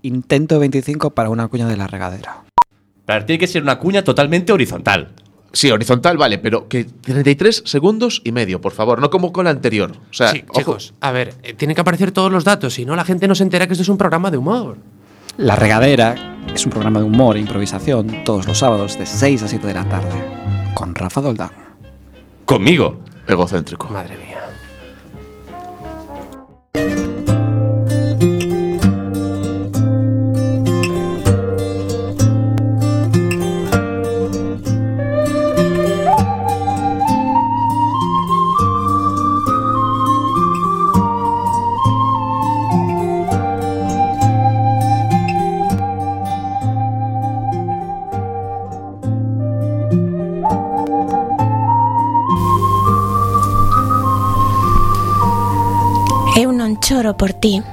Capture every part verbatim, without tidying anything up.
intento veinticinco para una cuña de la regadera. Pero tiene que ser una cuña totalmente horizontal. Sí, horizontal, vale, pero que treinta y tres segundos y medio, por favor, no como con la anterior. O sea, Sí, ojo. chicos, a ver, eh, tienen que aparecer todos los datos, si no la gente no se entera que esto es un programa de humor. La regadera es un programa de humor e improvisación todos los sábados de seis a siete de la tarde, con Rafa Doldán. Conmigo. Egocéntrico. Madre mía. Eu non choro por ti,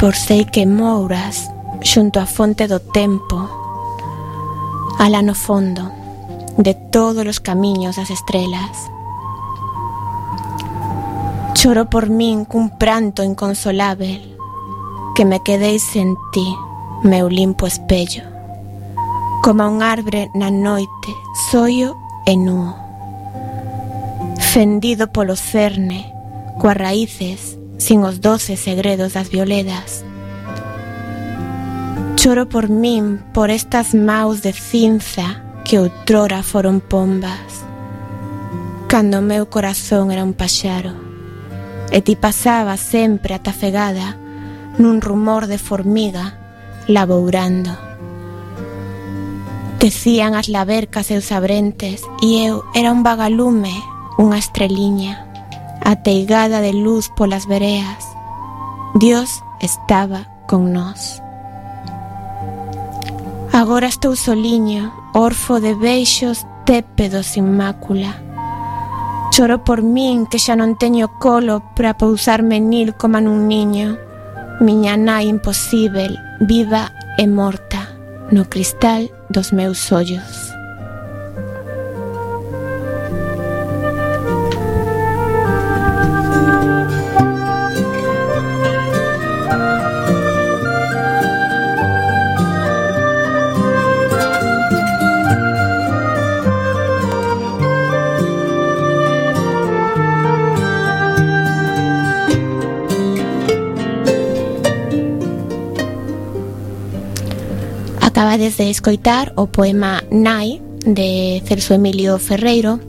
por sei que mouras xunto á fonte do tempo, alá no fondo de todos os camiños das estrelas. Choro por min cun pranto inconsolável, que me quedei sen ti, meu limpo espello, como un arbre na noite, soio e nuo, fendido polo cerne, coas raíces sin os doces segredos das violedas. Choro por min, por estas maus de cinza que outrora foron pombas, cando o meu corazón era un paxaro, e ti pasabas sempre atafegada nun rumor de formiga labourando. Tecían as labercas e os abrentes, e eu era un vagalume, unha estreliña, ateigada de luz polas vereas. Dios estaba con nós. Agora estou soliño, orfo de beixos tépedos sin mácula. Choro por min que xa non teño colo para pousarme nil como nun niño. Miña nai imposíbel, viva e morta, no cristal dos meus ollos. Acabades de escoitar o poema Nai de Celso Emilio Ferreiro,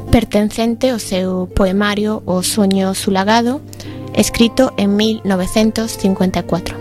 pertencente ao seu poemario O soño sulagado, escrito en mil novecentos cincuenta e cuatro.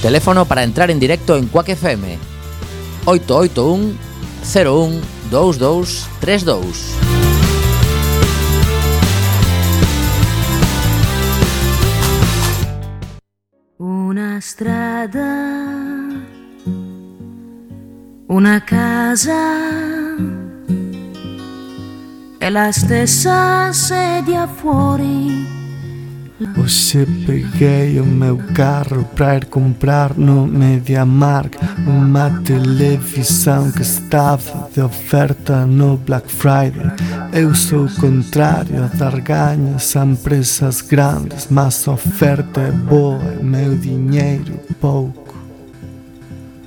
Teléfono para entrar en directo en Quack F M: oito oito un cero un dous dous tres dous. Una strada, una casa e la stessa sedia fuori. Hoxe peguei o meu carro pra ir comprar no MediaMarkt unha televisão que estaba de oferta no Black Friday. Eu sou o contrario a dar gaños a empresas grandes, mas a oferta é boa e meu dinheiro pouco.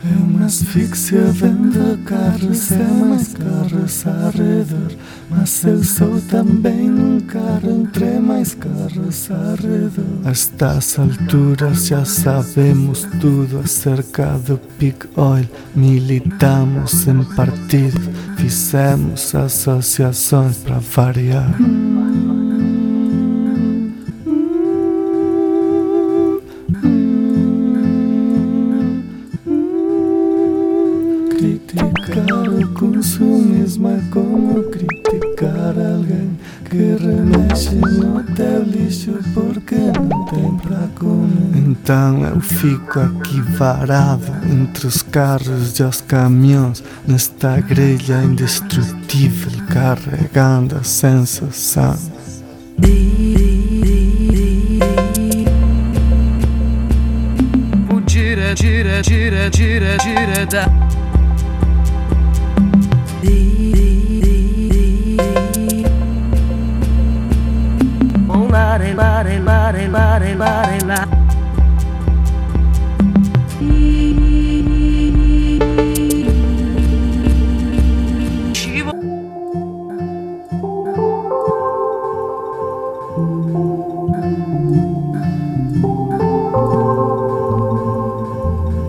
É uma asfixia vendo carros, é mais carros ao redor, mas eu sou também um carro entre mais carros ao redor. A estas alturas já sabemos tudo acerca do Peak Oil. Militamos em partido, fizemos associações para variar. Criticar o consumismo é como criticar alguém que remexe no teu lixo porque não tem pra comer. Então eu fico aqui varado entre os carros e os caminhões, nesta grelha indestrutível, carregando a sensação. Gira, gira, gira, gira, gira da mare, mare, mare, mare, mare, la.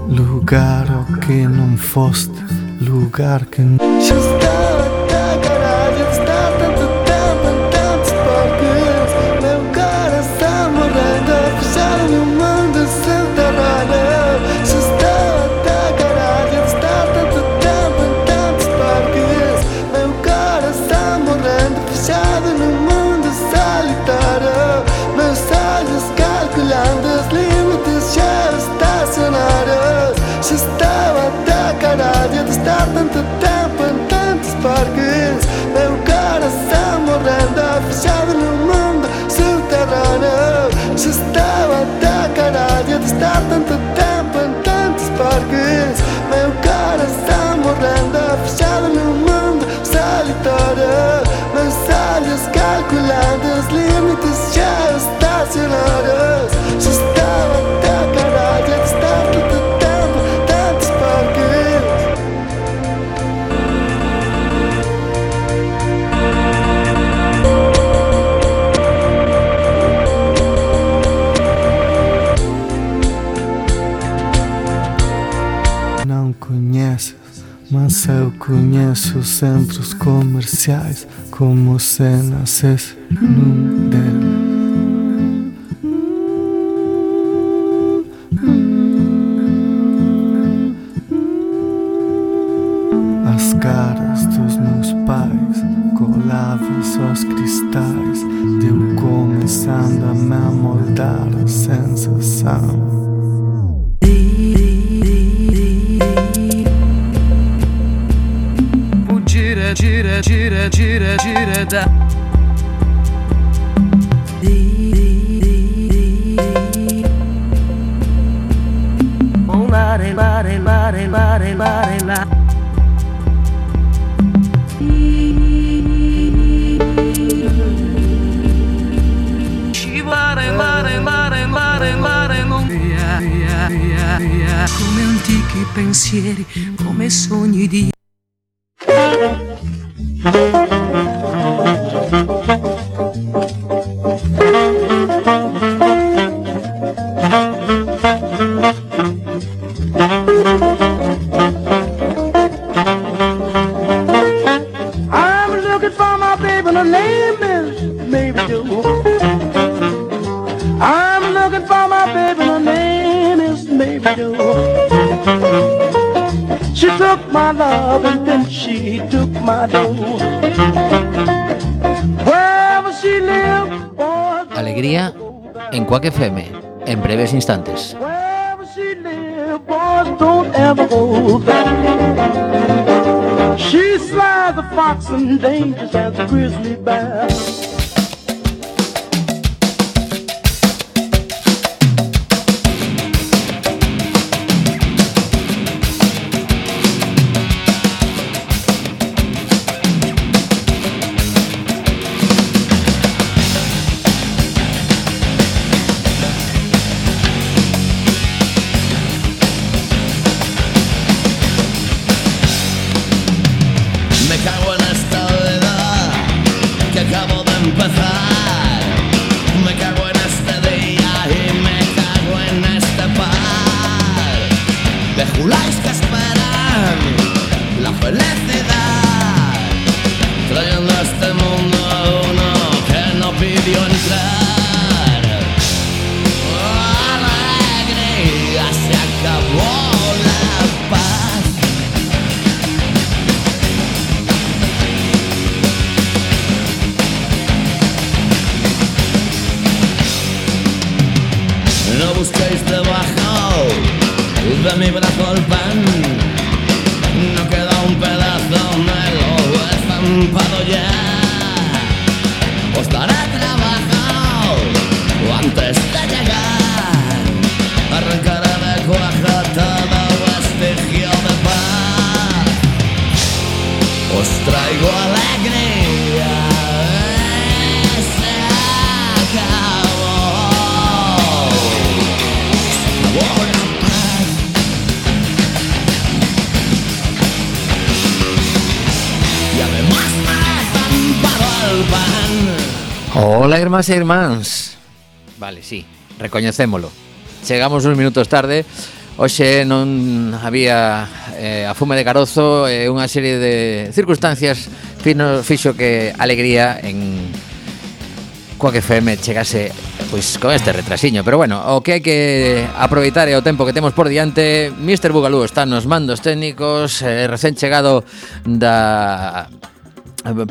Lugar ao que não foste, lugar que não. Tanto tempo em tantos parques, meu coração morrendo, fechado no mundo subterrâneo. Já estava até caralho de estar tanto tempo em tantos parques, meu coração morrendo, fechado no mundo solitário. Meus olhos calculando os limites já estacionados. Já estava até caralho de estar tanto tempo em tantos parques. Não conheces, mas eu conheço os centros comerciais como se nascesse num deles. As caras dos meus pais coladas aos cristais, de eu começando a me amoldar a sensação. Gira, gira, gira, gira, gira da. Mare, mare, mare, mare, mare, la. Mare, mare, mare, mare, mare, non via, via, via, via. Come antichi pensieri, come sogni di. I'm looking for my baby, her name is Mabel. do. She took my love and then she took my dough. Wherever she lived, boys, Alegría en Quack F M, en breves instantes. wherever she lived, boys, don't ever go back. She's sly as a fox and dangerous as a grizzly bear. Me cago en esta vida que acabo de empezar. Me cago en este día y me cago en este par de juláis que esperan la felicidad, trayendo a este mundo a uno que no pidió entrar. Oh, alegría, se acabó la paz. No busquéis debajo de mi brazo el pan. No queda un pedazo, me lo he estampado ya. Os daré trabajo antes de llegar. Arrancaré de cuaja todo vestigio de paz. Os traigo alegría. Se acabó. Hola, irmás e irmáns. Vale, sí, recoñecémolo. Chegamos uns minutos tarde. Hoxe non había eh, a fume de carozo e eh, unha serie de circunstancias fino, fixo que alegría en Quack F M chegase pois con este retrasiño, pero bueno, o que hai que aproveitar é o tempo que temos por diante. mister Bugalú está nos mandos técnicos, eh, recén chegado da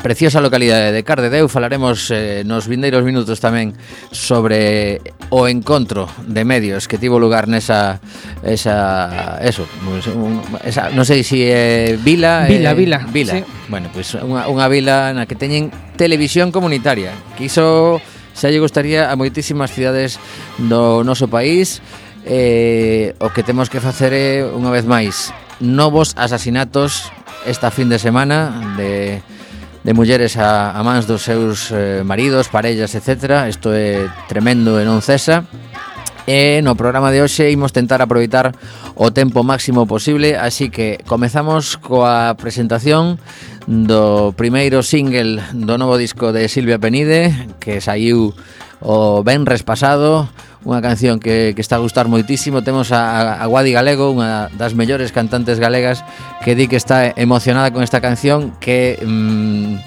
preciosa localidade de Cardedeu. Falaremos eh, nos vindeiros minutos tamén sobre o encontro de medios que tivo lugar nesa esa eso, un, esa non sei se é vila, Vila, eh, vila, vila. sí. Bueno, pois pues unha, unha vila na que teñen televisión comunitaria, que iso xa lle gustaría a moitísimas cidades do noso país. Eh, o que temos que facer é, unha vez máis, novos asasinatos esta fin de semana de de mulleres a, a mans dos seus eh, maridos, parellas, etcétera. Isto é tremendo e non cesa. E no programa de hoxe imos tentar aproveitar o tempo máximo posible, así que comezamos coa presentación do primeiro single do novo disco de Silvia Penide, que saiu o venres pasado, unha canción que, que está a gustar moitísimo. Temos a, a Guadi Galego, unha das mellores cantantes galegas, que di que está emocionada con esta canción, que mmm,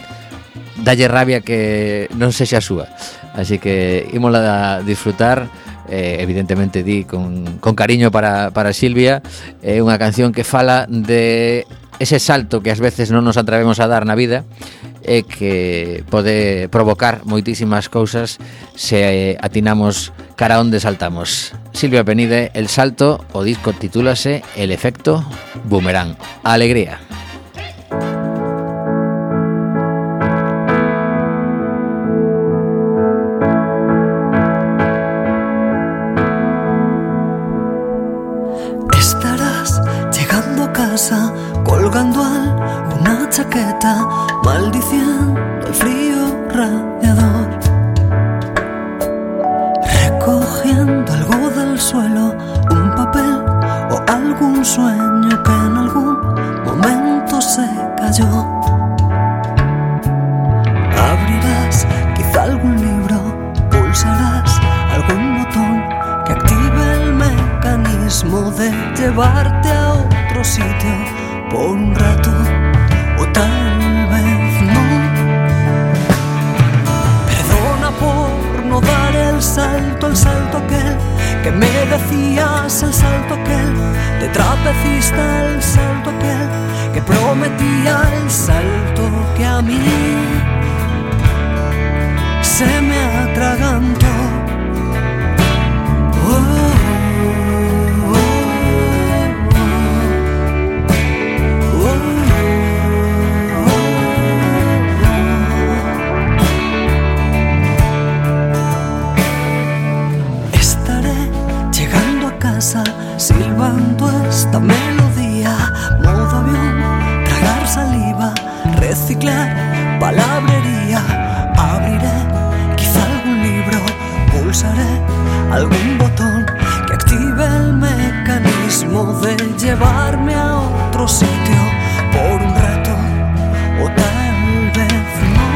dalle rabia que non sexa súa. Así que ímola a disfrutar, eh, evidentemente di con, con cariño para, para Silvia. É eh, unha canción que fala de ese salto que ás veces non nos atrevemos a dar na vida e que pode provocar moitísimas cousas se atinamos cara onde saltamos. Silvia Penide, El Salto, o disco titúlase El Efecto Boomerang. Alegría. Estarás llegando a casa, colgando alguna chaqueta, maldiciendo el frío radiador, recogiendo algo del suelo, un papel o algún sueño que en algún momento se cayó. Abrirás quizá algún libro, pulsarás algún botón que active el mecanismo de llevarte a otro sitio por un rato, o tal vez no. Perdona por no dar el salto, el salto aquel que me decías el salto aquel de trapecista, el salto aquel que prometía, el salto que a mí se me atragantó. Oh, oh, oh, oh, oh. Estaré llegando a casa silbando esta melodía, modo avión, tragar saliva, reciclar palabrería. Abriré quizá algún libro, pulsaré algún botón que active el mecanismo de llevarme a otro sitio por un rato, o tal vez no.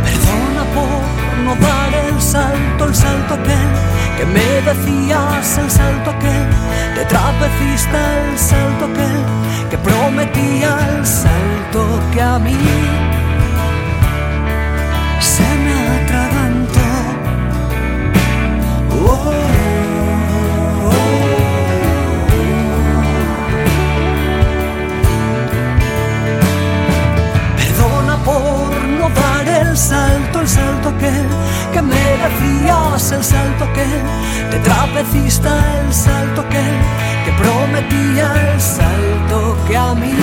Perdona por no dar el salto, el salto aquel que me decías, el salto aquel de trapecista, el salto aquel que prometía, el salto que a mí se me atragantó. Oh, oh, oh, oh. Perdona por no dar el salto, el salto aquel que me decías, el salto aquel de trapecista, el salto aquel que prometía, el salto que a mí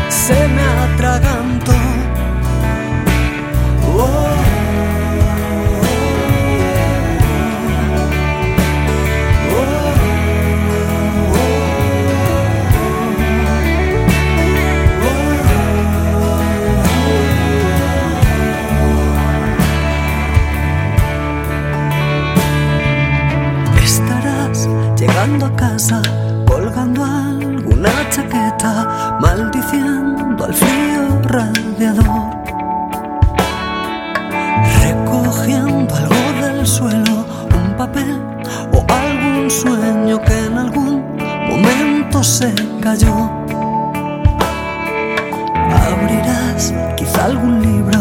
se me atragantó. Oh, oh, llegando a casa, colgando alguna chaqueta, maldiciendo al frío radiador, recogiendo algo del suelo, un papel o algún sueño que en algún momento se cayó. Abrirás quizá algún libro,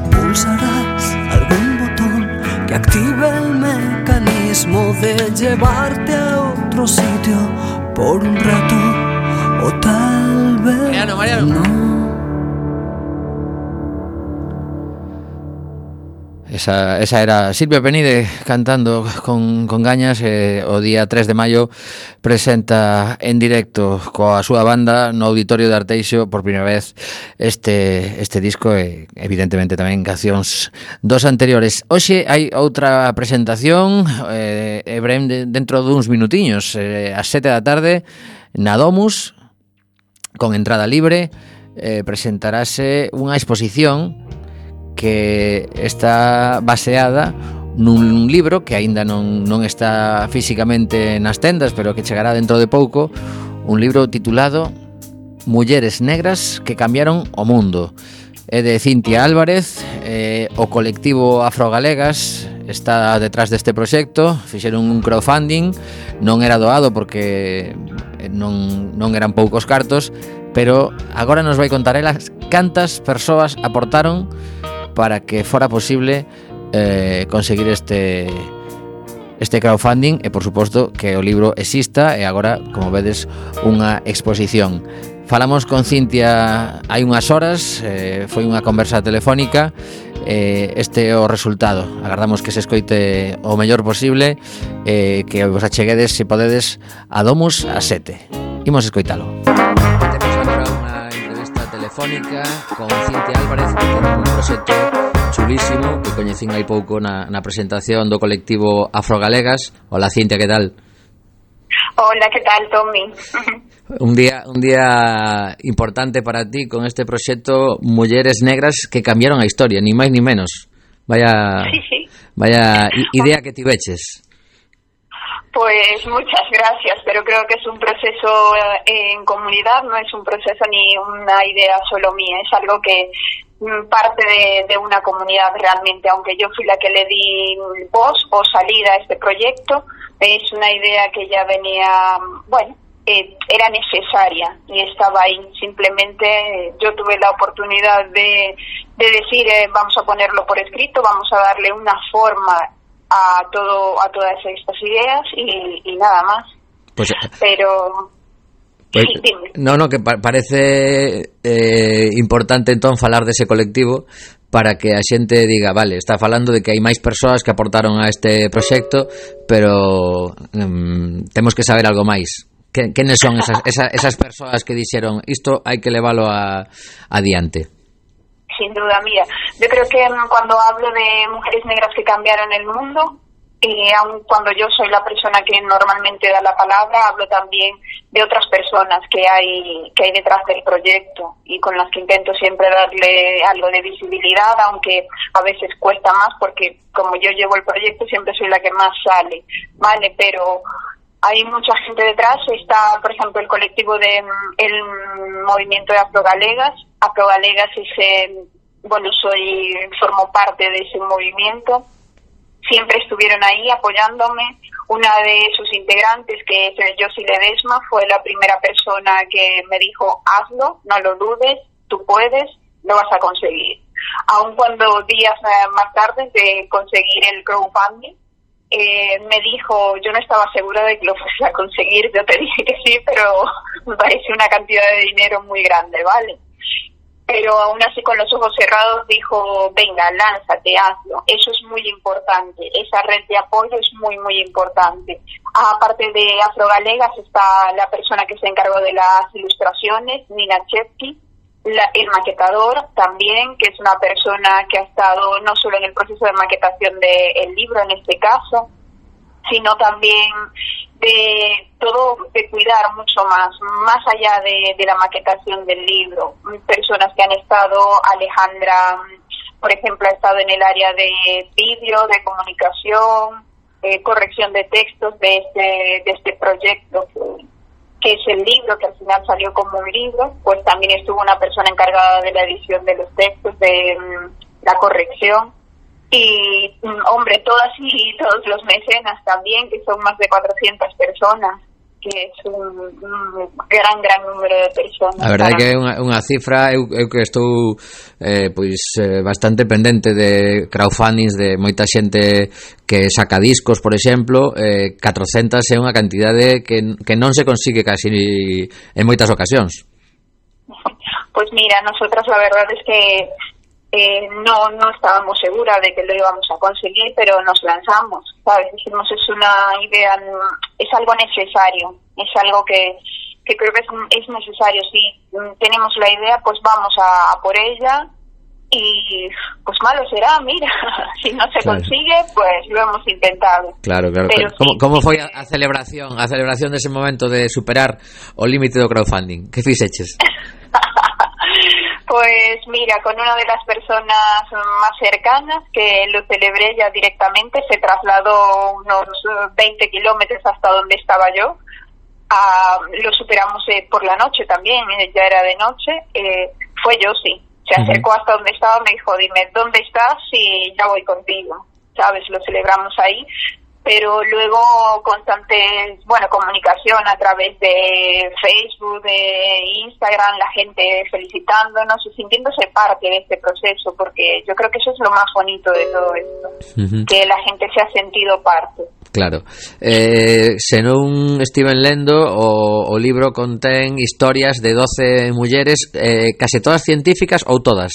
pulsarás algún botón que active el mecanismo de llevarte a otro sitio por un rato, o tal vez Mariano, Mariano. no. Esa, esa era Silvia Penide cantando con, con gañas. eh, O día tres de maio presenta en directo coa súa banda no Auditorio de Arteixo por primeira vez este, este disco e evidentemente tamén cancións dos anteriores. Hoxe hai outra presentación eh, e brem de, dentro duns minutiños, eh, ás sete da tarde na Domus, con entrada libre. eh, presentarase unha exposición que está baseada nun libro que aínda non, non está físicamente nas tendas, pero que chegará dentro de pouco, un libro titulado Mulleres negras que cambiaron o mundo. É de Cintia Álvarez, eh, o colectivo Afrogalegas está detrás deste proxecto, fixeron un crowdfunding, non era doado porque non, non eran poucos cartos, pero agora nos vai contar elas cantas persoas aportaron para que fora posible eh, conseguir este este crowdfunding e, por suposto, que o libro exista e agora, como vedes, unha exposición. Falamos con Cintia hai unhas horas, eh, foi unha conversa telefónica, eh, este é o resultado. Agardamos que se escoite o mellor posible, eh, que vos acheguedes, se podedes, a Domus a sete. Imos escoitalo. Temos agora unha entrevista telefónica con Cintia Álvarez, que ten un proxecto chulísimo que coñecín hai pouco na, na presentación do colectivo Afrogalegas. Hola, Cintia, que tal? Hola, que tal, Tommy? Un día un día importante para ti con este proxecto Mulleres Negras que cambiaron a historia, ni máis ni menos. Vaya, sí, sí. Vaya idea que tiveches. Pues muchas gracias, pero creo que es un proceso en comunidad, no es un proceso ni una idea solo mía, es algo que parte de, de una comunidad realmente, aunque yo fui la que le di voz o salida a este proyecto, es una idea que ya venía, bueno, eh, era necesaria y estaba ahí. Simplemente eh, yo tuve la oportunidad de, de decir, eh, vamos a ponerlo por escrito, vamos a darle una forma a todo a todas estas ideas y, y nada más. Pues, Pero... Pues, sí, dime. no, no, que pa parece eh, importante entón falar dese colectivo para que a xente diga, vale, está falando de que hai máis persoas que aportaron a este proxecto, pero um, temos que saber algo máis. Que, quenes son esas, esas, esas persoas que dixeron isto hai que leválo a, adiante? Sin duda, mira, yo creo que cuando hablo de mujeres negras que cambiaron el mundo, y aun cuando yo soy la persona que normalmente da la palabra, hablo también de otras personas que hay que hay detrás del proyecto y con las que intento siempre darle algo de visibilidad, aunque a veces cuesta más porque como yo llevo el proyecto siempre soy la que más sale, vale, pero hay mucha gente detrás. Está, por ejemplo, el colectivo de el movimiento de Afrogalegas. Afrogalegas es, eh, bueno, soy formo parte de ese movimiento. Siempre estuvieron ahí apoyándome. Una de sus integrantes, que es Josie Ledesma, fue la primera persona que me dijo, hazlo, no lo dudes, tú puedes, lo vas a conseguir. Aun cuando días eh, más tarde de conseguir el crowdfunding, eh, me dijo, yo no estaba segura de que lo fuese a conseguir, yo te dije que sí, pero me parece una cantidad de dinero muy grande, ¿vale? Pero aún así con los ojos cerrados dijo, venga, lánzate, hazlo. Eso es muy importante, esa red de apoyo es muy, muy importante. Aparte de Afrogalegas está la persona que se encargó de las ilustraciones, Nina Chepki, la, el maquetador también, que es una persona que ha estado no solo en el proceso de maquetación del libro en este caso, sino también de todo, de cuidar mucho más, más allá de, de la maquetación del libro. Personas que han estado, Alejandra, por ejemplo, ha estado en el área de vídeo, de comunicación, eh, corrección de textos de este, de este proyecto, que, que es el libro, que al final salió como un libro. Pues también estuvo una persona encargada de la edición de los textos, de um, la corrección. Y, hombre, todas y todos los mecenas también, que son más de cuatrocientas personas, que es un, un gran, gran número de personas. A verdade que é unha, unha cifra, eu, eu que estou eh, pois eh, bastante pendente de crowdfundings de moita xente que saca discos, por exemplo, eh, catrocentas é unha cantidade que, que non se consigue casi en moitas ocasións. Pues mira, nosotras la verdad es que Eh, no no estábamos seguras de que lo íbamos a conseguir, pero nos lanzamos, ¿sabes? Dijimos, es una idea, es algo necesario, es algo que, que creo que es, es necesario. Si tenemos la idea, pues vamos a, a por ella y pues malo será, mira, si no se claro. consigue, pues lo hemos intentado. Claro, claro. Pero como, sí, como foi a, a celebración, a celebración dese momento de superar o límite do crowdfunding? Que fixeches? Pues mira, con una de las personas más cercanas, que lo celebré ya directamente, se trasladó unos veinte kilómetros hasta donde estaba yo. Ah, lo superamos eh, por la noche también, eh, ya era de noche. Eh, fue Josie, se acercó hasta donde estaba, me dijo, dime, ¿dónde estás? Y ya voy contigo, ¿sabes? Lo celebramos ahí. Pero luego constante, bueno, comunicación a través de Facebook, de Instagram, la gente felicitándonos y sintiéndose parte de este proceso, porque yo creo que eso es lo más bonito de todo esto, uh-huh. que la gente se ha sentido parte. Claro. Eh, se non estiven lendo, o, o libro contén historias de doce mulleres, eh, case todas científicas ou todas?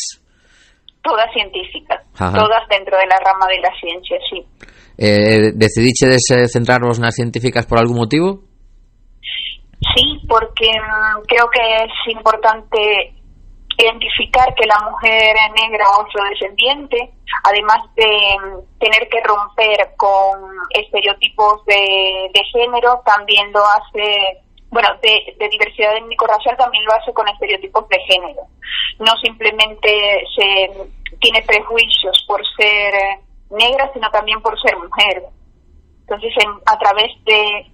Todas científicas, Ajá. todas dentro de la rama de la ciencia, sí. Eh, decidichedes centrarvos nas científicas por algún motivo? Sí, porque um, creo que es importante identificar que la mujer negra o afrodescendiente, además de um, tener que romper con estereotipos de, de género, también lo hace, bueno, de, de diversidad étnico-racial, también lo hace con estereotipos de género. No simplemente se tiene prejuicios por ser negra, sino también por ser mujer. Entonces, en, a través de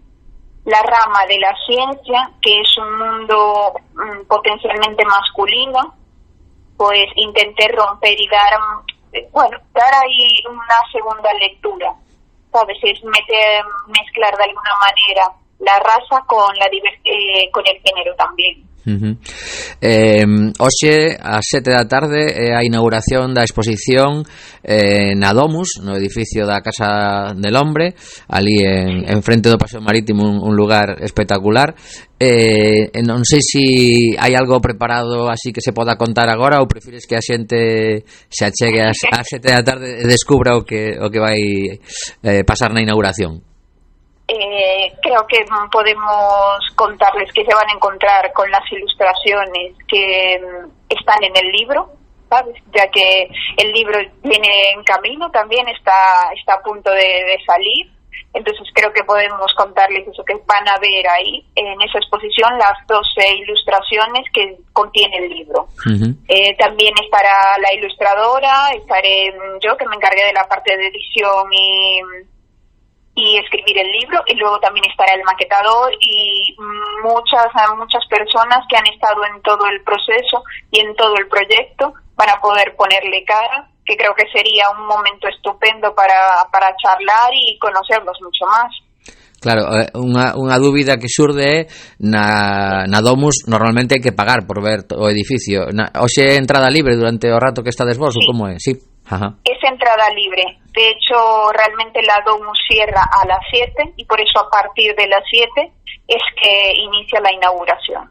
la rama de la ciencia, que es un mundo mm, potencialmente masculino, pues intenté romper y dar, bueno, dar ahí una segunda lectura, ¿sabes? Es meter, mezclar de alguna manera la raza con, la diver- eh, con el género tamén. Uh-huh. Eh, hoxe ás sete da tarde é a inauguración da exposición eh, na Domus, no edificio da Casa del Hombre, ali en, en frente do Paseo Marítimo, un, un lugar espectacular. Eh, non sei se hai algo preparado así que se poda contar agora, ou prefires que a xente se achegue ás, ás sete da tarde e descubra o que, o que vai eh, pasar na inauguración. Eh, creo que podemos contarles que se van a encontrar con las ilustraciones que mm, están en el libro, ¿sabes? Ya que el libro viene en camino, también está, está a punto de, de salir. Entonces creo que podemos contarles eso, que van a ver ahí en esa exposición las doce ilustraciones que contiene el libro. Uh-huh. Eh, también estará la ilustradora, estaré yo, que me encargué de la parte de edición y... y escribir el libro, y luego también estará el maquetador y muchas muchas personas que han estado en todo el proceso y en todo el proyecto van a poder ponerle cara, que creo que sería un momento estupendo para, para charlar y conocerlos mucho más. Claro, unha, unha dúbida que xurde é na, na Domus normalmente hai que pagar por ver o edificio. Na, hoxe é entrada libre durante o rato que estades vos, sí. Ou como é? Sí. Ajá. Es entrada libre. De hecho, realmente la Domus cierra a las siete y por eso a partir de las siete es que inicia la inauguración.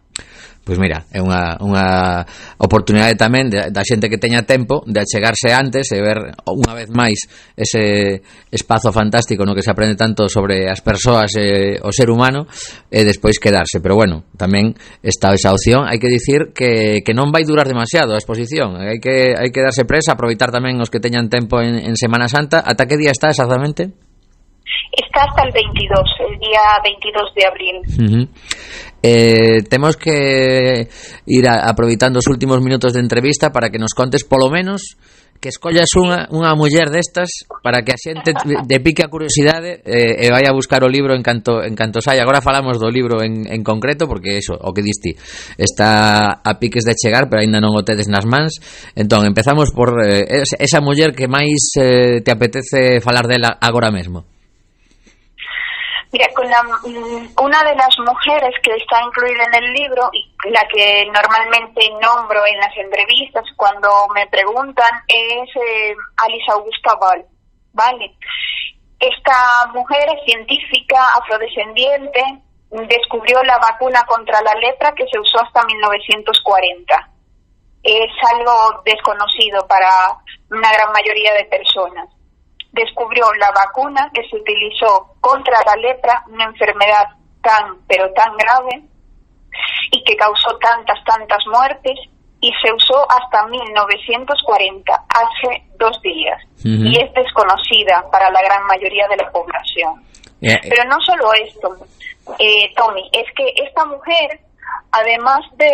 Pois mira, é unha, unha oportunidade tamén de, da xente que teña tempo de achegarse antes e ver unha vez máis ese espazo fantástico no que se aprende tanto sobre as persoas e o ser humano e despois quedarse. Pero bueno, tamén está esa opción. Hai que dicir que, que non vai durar demasiado a exposición. Hai que, hai que darse presa, aproveitar tamén os que teñan tempo en, en Semana Santa. Ata que día está exactamente? Está hasta el veintidós, el día veintidós de abril. Uh-huh. Eh, temos que ir a, aproveitando os últimos minutos de entrevista para que nos contes polo menos que escollas unha, unha muller destas para que a xente de pique a curiosidade eh, e vai a buscar o libro en canto, en canto sai. Agora falamos do libro en, en concreto porque eso, o que diste está a piques de chegar pero ainda non o tedes nas mans. Entón, empezamos por eh, esa muller que máis eh, te apetece falar dela agora mesmo. Mira, con la, una de las mujeres que está incluida en el libro y la que normalmente nombro en las entrevistas cuando me preguntan es eh, Alice Augusta Ball, ¿vale? Esta mujer es científica afrodescendiente, descubrió la vacuna contra la lepra que se usó hasta mil novecientos cuarenta. Es algo desconocido para una gran mayoría de personas. Descubrió la vacuna que se utilizó contra la lepra, una enfermedad tan, pero tan grave, y que causó tantas, tantas muertes, y se usó hasta mil novecientos cuarenta, hace dos días. Uh-huh. Y es desconocida para la gran mayoría de la población. Yeah. Pero no solo esto, eh, Tommy, es que esta mujer, además de,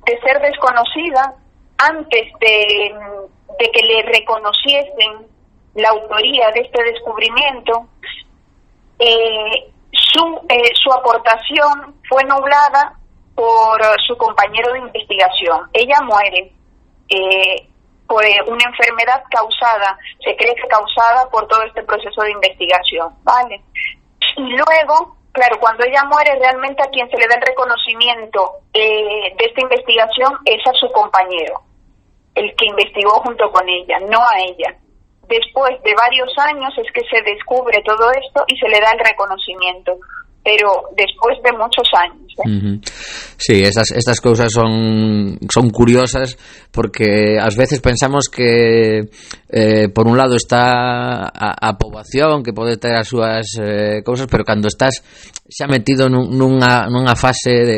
de ser desconocida, antes de, de que le reconociesen la autoría de este descubrimiento, eh, su, eh, su aportación fue nublada por su compañero de investigación. Ella muere eh, por una enfermedad causada, se cree que causada por todo este proceso de investigación, ¿vale? Y luego, claro, cuando ella muere, realmente a quien se le da el reconocimiento eh, de esta investigación es a su compañero, el que investigó junto con ella, no a ella. Después de varios años es que se descubre todo esto y se le da el reconocimiento, pero después de muchos años. ¿eh? Uh-huh. Sí, esas, estas cousas son, son curiosas porque ás veces pensamos que eh, por un lado está a, a poboación que pode ter as súas eh, cousas, pero cando estás xa metido nun, nunha, nunha fase de,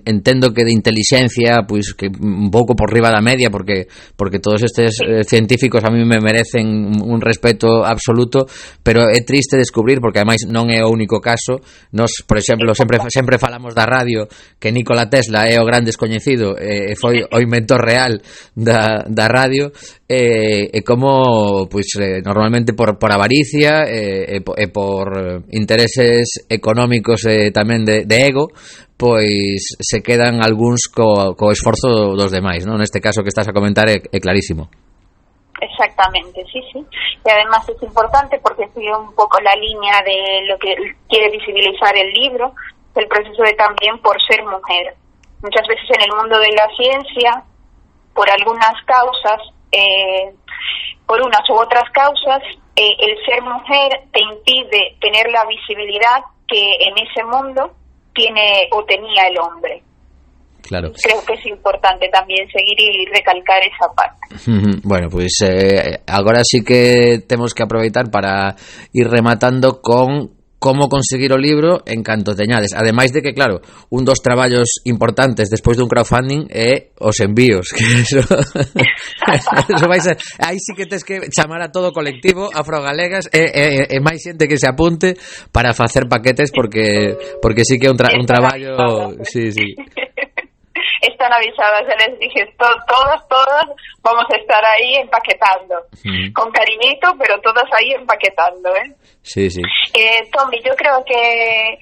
entendo que de inteligencia, pois que un pouco por riba da media, porque porque todos estes eh, científicos a mí me merecen un respeto absoluto, pero é triste descubrir, porque ademais non é o único caso. Nos, por exemplo, sempre sempre falamos da radio, que Nikola Tesla é o gran descoñecido e eh, foi o inventor real da, da radio, e, e como pois eh, normalmente por, por avaricia e, e, e por intereses económicos e tamén de, de ego, pois se quedan algúns co, co esforzo dos demais, non? Neste caso que estás a comentar é, é clarísimo. Exactamente, sí, sí. Y además es importante porque sigue un poco la línea de lo que quiere visibilizar el libro, el proceso de también por ser mujer. Muchas veces en el mundo de la ciencia, por algunas causas, eh, por unas u otras causas, eh, el ser mujer te impide tener la visibilidad que en ese mundo tiene o tenía el hombre. Claro. Creo que es importante también seguir y recalcar esa parte. Bueno, pois pues, eh, agora sí que temos que aproveitar para ir rematando con como conseguir o libro en canto teñades. Ademais de que, claro, un dos traballos importantes despois dun crowdfunding é os envíos, que eso, eso vai ser, aí sí que tes que chamar a todo o colectivo afrogalegas e, e, e máis xente que se apunte para facer paquetes porque porque sí que é un, tra, un traballo, sí, sí. Están avisadas, ya les dije, to- todas, todas vamos a estar ahí empaquetando, mm. con cariñito, pero todas ahí empaquetando, ¿eh? Sí, sí. Eh, Tommy, yo creo que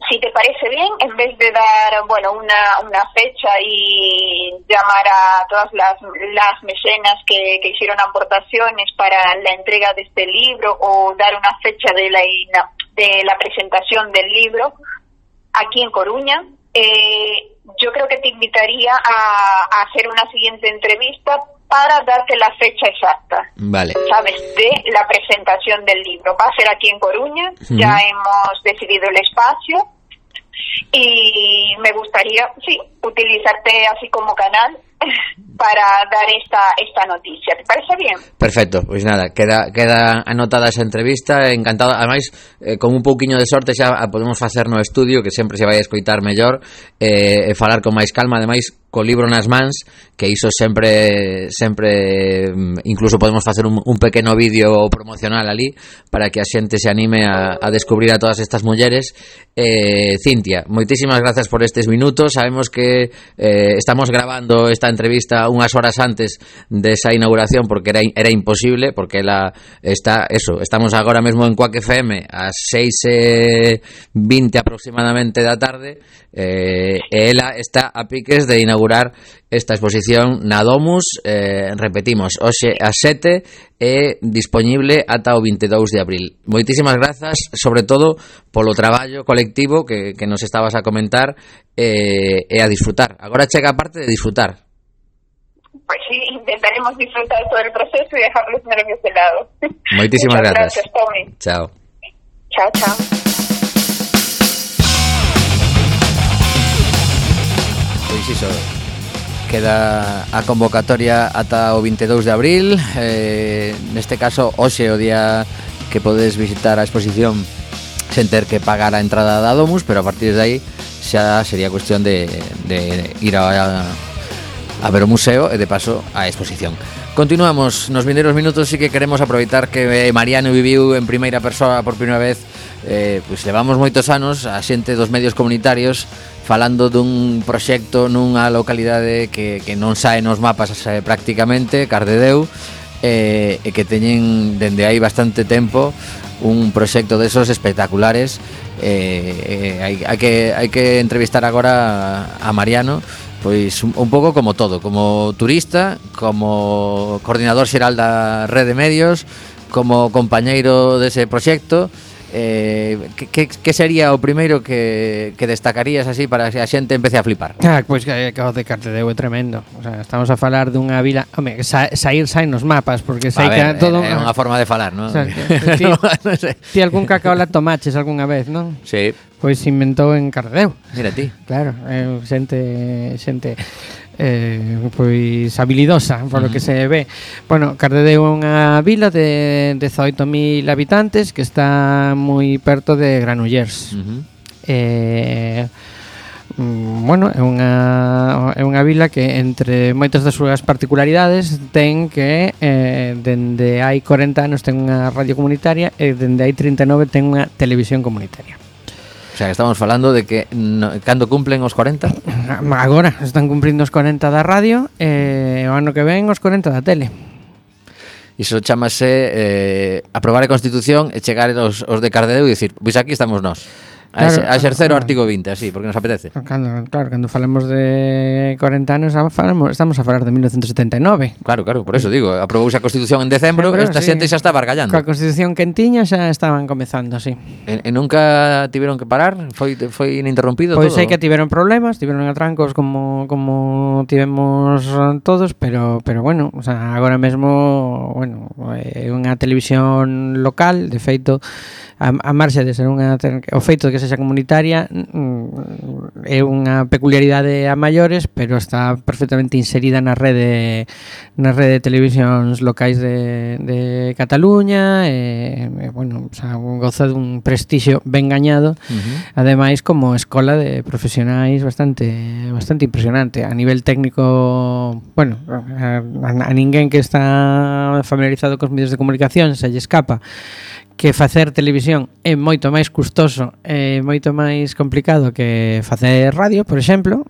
si te parece bien, en vez de dar, bueno, una, una fecha y llamar a todas las, las mecenas que, que hicieron aportaciones para la entrega de este libro o dar una fecha de la, de la presentación del libro aquí en Coruña, eh, yo creo que te invitaría a, a hacer una siguiente entrevista para darte la fecha exacta. Vale. ¿Sabes? De la presentación del libro. Va a ser aquí en Coruña, uh-huh. Ya hemos decidido el espacio y me gustaría, sí, utilizarte así como canal para dar esta esta noticia. ¿Te parece bien? Perfecto, pois pues nada, queda queda anotada esa entrevista, encantado. Ademais, eh, con un pouquiño de sorte xa podemos facer no estudio, que sempre se vai a escoitar mellor, eh, e falar con máis calma, ademais co libro nas mans, que iso sempre sempre incluso podemos facer un, un pequeno vídeo promocional ali para que a xente se anime a, a descubrir a todas estas mulleres. eh, Cintia, moitísimas grazas por estes minutos. Sabemos que eh, estamos grabando esta entrevista unhas horas antes desa inauguración porque era, era imposible, porque ela está, eso, estamos agora mesmo en Quack F M ás seis e vinte aproximadamente da tarde, eh, e ela está a piques de inaugurar esta exposición na Domus, eh, repetimos, hoxe ás sete e dispoñible ata o veintidós de abril. Moitísimas grazas, sobre todo polo traballo colectivo que, que nos estabas a comentar, eh, e a disfrutar. Agora chega a parte de disfrutar. Pues sí, intentaremos disfrutar todo el proceso y dejar los nervios de lado. Moitísimas grazas. Gracias, Tommy. Chao. Chao, chao. Pois iso, queda a convocatoria ata o veintidós de abril, eh, neste caso hoxe o día que podes visitar a exposición sen ter que pagar a entrada da Domus, pero a partir de aí xa sería cuestión de, de ir a, a ver o museo e de paso a exposición. Continuamos nos vindeiros minutos, sí que queremos aproveitar que Mariano viviu en primeira persoa por primeira vez. Eh, pois levamos moitos anos a xente dos medios comunitarios falando dun proxecto nunha localidade que, que non sae nos mapas eh, prácticamente, Cardedeu, eh, e que teñen dende aí bastante tempo un proxecto desos espectaculares. eh, eh, hai, hai, que, hai que entrevistar agora a Mariano, pois un, un pouco como todo, como turista, como coordinador xeral da Rede Medios, como compañeiro dese proxecto. Eh, que, que, que sería o primeiro que, que destacarías así para que a xente empece a flipar? Ah, pois que, que o de Cardedeu é tremendo. O sea, estamos a falar dunha vila, home, sa, sair saen nos mapas, porque sai que todo é unha forma de falar, non? O sea, ti, no sé. Ti algún cacaola tomaches algunha vez, non? Sí. Pois se inventou en Cardedeu. Mira ti. Claro, eh, xente xente eh, pois habilidosa, por lo uh-huh. que se ve. Bueno, Cardedeu é unha vila de dezoito mil habitantes que está moi perto de Granollers. Uh-huh. Eh, bueno, é unha é unha vila que entre moitas das súas particularidades ten que eh, dende hai corenta anos ten unha radio comunitaria e dende hai trinta e nove ten unha televisión comunitaria. O sea, estamos falando de que no, cando cumplen os corenta? Agora están cumprindo os corenta da radio e o ano que ven os corenta da tele. Iso chamase eh, aprobar a Constitución e chegar os, os de Cardedeu e dicir, pois aquí estamos nós. A, Claro, a exercer o claro. artigo vinte, así, porque nos apetece. Cando, claro, cando falamos de corenta anos, a- falamos, estamos a falar de mil novecientos setenta e nove. Claro, claro, por eso digo, aprobouse a Constitución en decembro, Pero, esta sí, xente xa está bargallando. Coa Constitución quentiña xa estaban comezando, sí. E, e nunca tiveron que parar? Foi foi ininterrompido Pois todo? hai que tiveron problemas, tiveron atrancos como como tivemos todos, pero pero bueno, o sea, agora mesmo, bueno, é unha televisión local, de feito, a, a marxe de ser unha te- o feito de que sexa comunitaria mm, é unha peculiaridade a maiores, pero está perfectamente inserida na rede na rede de televisións locais de, de Cataluña e, e bueno, o sea, goza dun prestixio ben gañado. Uh-huh. Ademais, como escola de profesionais bastante bastante impresionante a nivel técnico, bueno, a, a ninguén que está familiarizado cos medios de comunicación se lle escapa que facer televisión é moito máis custoso e moito máis complicado que facer radio, por exemplo.